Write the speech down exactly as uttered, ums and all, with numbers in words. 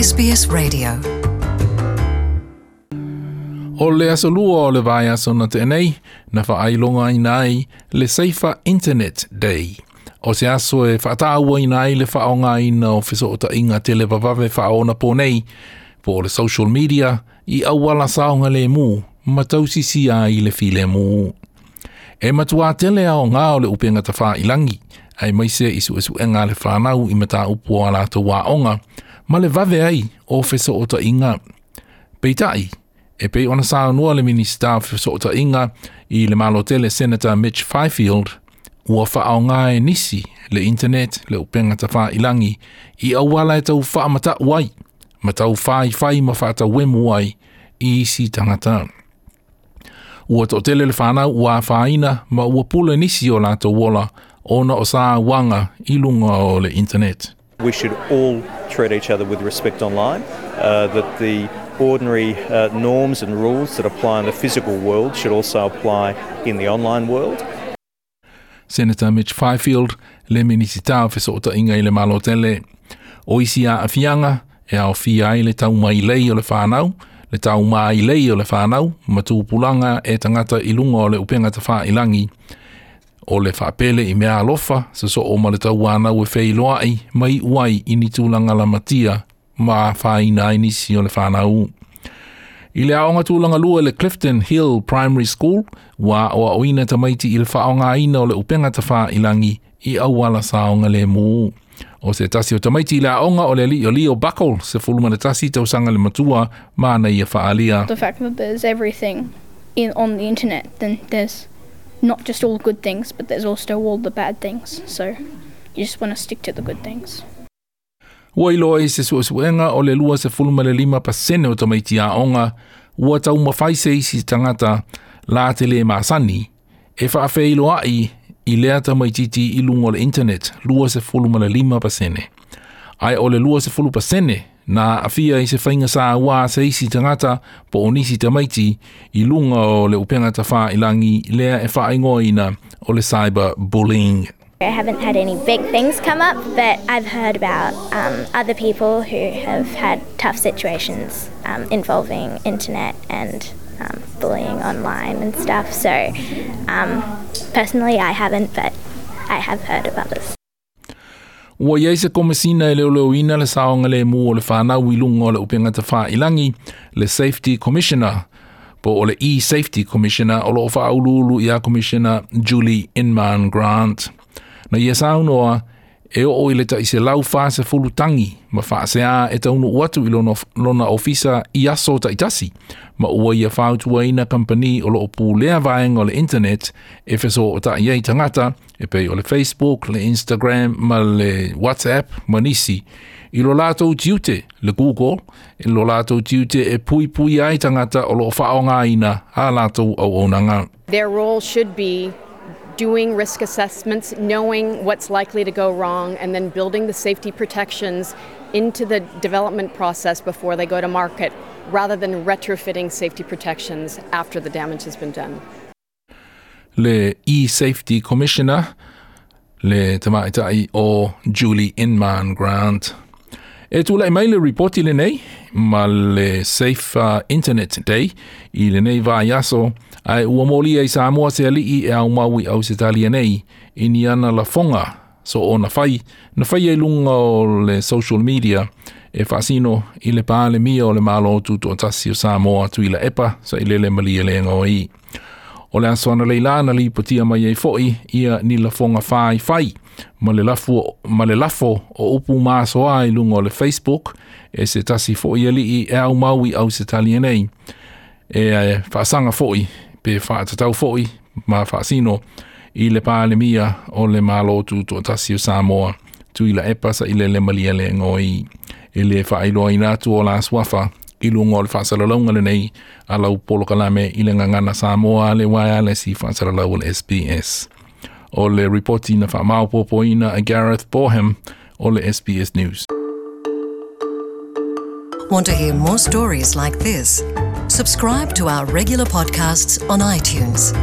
S B S Radio. O le aso lua o le vaiaso na tea nei, na faailogaina ai le Safer Internet Day. O se aso e faatauaina ai le faaaogaina o fesootaiga televavave faaonaponei, po o le social media, i auala saogalemu ma tausisia ai le filemu. E matua tele aoga o le upega tafailagi, aemaise i suesuega a le fanau i mataupu o a latou aoga, ma le vave ai o fesootaiga. Peitai, e pei ona saunoa le Minisita o Fesootaiga i le Malo tele, Senator Mitch Fifield, ua faaaoga e nisi le internet, le upega tafailagi, i auala e tau faamata'u ai, ma tau faifai ma faatauemu ai i isi tagata. Ua toatele le fanau ua afaina ma ua pule nisi o latou ola ona o sauaga i luga o le internet. We should all treat each other with respect online, uh, that the ordinary uh, norms and rules that apply in the physical world should also apply in the online world. Senator Mitch Fifield, le Minisita o Fesootaiga i le Malo tele. O isi aafiaga e aofia ai le taumailei o le fanau, le taumailei o le fanau, ma tupulaga e tagata i luga o le upega tafailagi, o le faapele i meaalofa, sosoo ma le tauanau e feiloai, ma iu ai i ni tulaga lamatia ma afaina ai nisi o le fanau. I le aoga tulaga lua le Clifton Hill Primary School, ua aoaoina tamaiti i le faaaogaina o le upega tafailagi i auala saogalemu. O se tasi o tamaiti i le aoga o le alii o Leo Buckle, sefulu ma le tasi tausaga le matua, ma ana ia faaalia. The fact that there's everything in on the internet, then there's not just all good things, but there's also all the bad things. So you just want to stick to the good things. Ua iloa i se suesuega o le lua sefulu ma le lima pasene o tamaiti aoga ua taumafai se isi tagata la te le masani e faafeiloai i lea tamaititi i luga o le internet, lua sefulu ma le lima pasene. Ae o le lua sefulu pasene na aafia i se faiga saua se isi tagata po o nisi tamaiti i luga o le upega tafailagi lea e faaigoaina o le cyber bullying. I haven't had any big things come up, but I've heard about um, other people who have had tough situations um, involving internet and um, bullying online and stuff. So, um, personally, I haven't, but I have heard of others. Ua iai se komesina e leoleoina le saogalemu o le fanau i luga o le upega tafailagi, le Safety Commissioner, po o le E-Safety Commissioner, o loo faauluulu ia Commissioner Julie Inman Grant. Na ia saunoa e oo i le tai selau fasefulu tagi ma faasea e taunuu atu i lona, lona ofisa i aso taitasi, ma ua ia fautuaina kampani o loo pulea vaega o le internet e fesootai ai tagata e pei o le Facebook, le Instagram ma le WhatsApp ma nisi i lo latou tiute, le Google, i lo latou tiute e puipui ai tagata o loo faaaogaina a latou auaunaga. Their role should be doing risk assessments, knowing what's likely to go wrong, and then building the safety protections into the development process before they go to market, rather than retrofitting safety protections after the damage has been done. Le E-Safety Commissioner, le tamaitai o Julie Inman Grant. E tulai mai le ripoti lenei ma le Safe uh, Internet Day i lenei vaiaso, ae ua molia i Samoa se alii e aumau i Ausetalia nei i ni ana lafoga so o na fai na fai ai luga o le social media e faasino i le Palemia o le Malo Tutoatasi o Samoa, Tuilaepa Sailele Malielegaoi. O le aso analeila na lipotia mai ai foi ia ni lafoga faifai ma le lafo, ma le lafo o upu masoa i luga o le Facebook e se tasi foi alii e aumau i Ausetalia nei e, e faasaga foi pe faatatau foi ma faasino i le Palemia o le Malo Tutoatasi o Samoa, Tuilaepa Sailele Malielegaoi. E le faailoaina atu o la suafa i luga o le faasalalauga lenei a lau polokalame i le Gagana Samoa, le uaealesi faasalalau o le S B S. O le ripoti na faamaopoopoina a Gareth Boreham o le S B S News. Want to hear more stories like this? Subscribe to our regular podcasts on iTunes.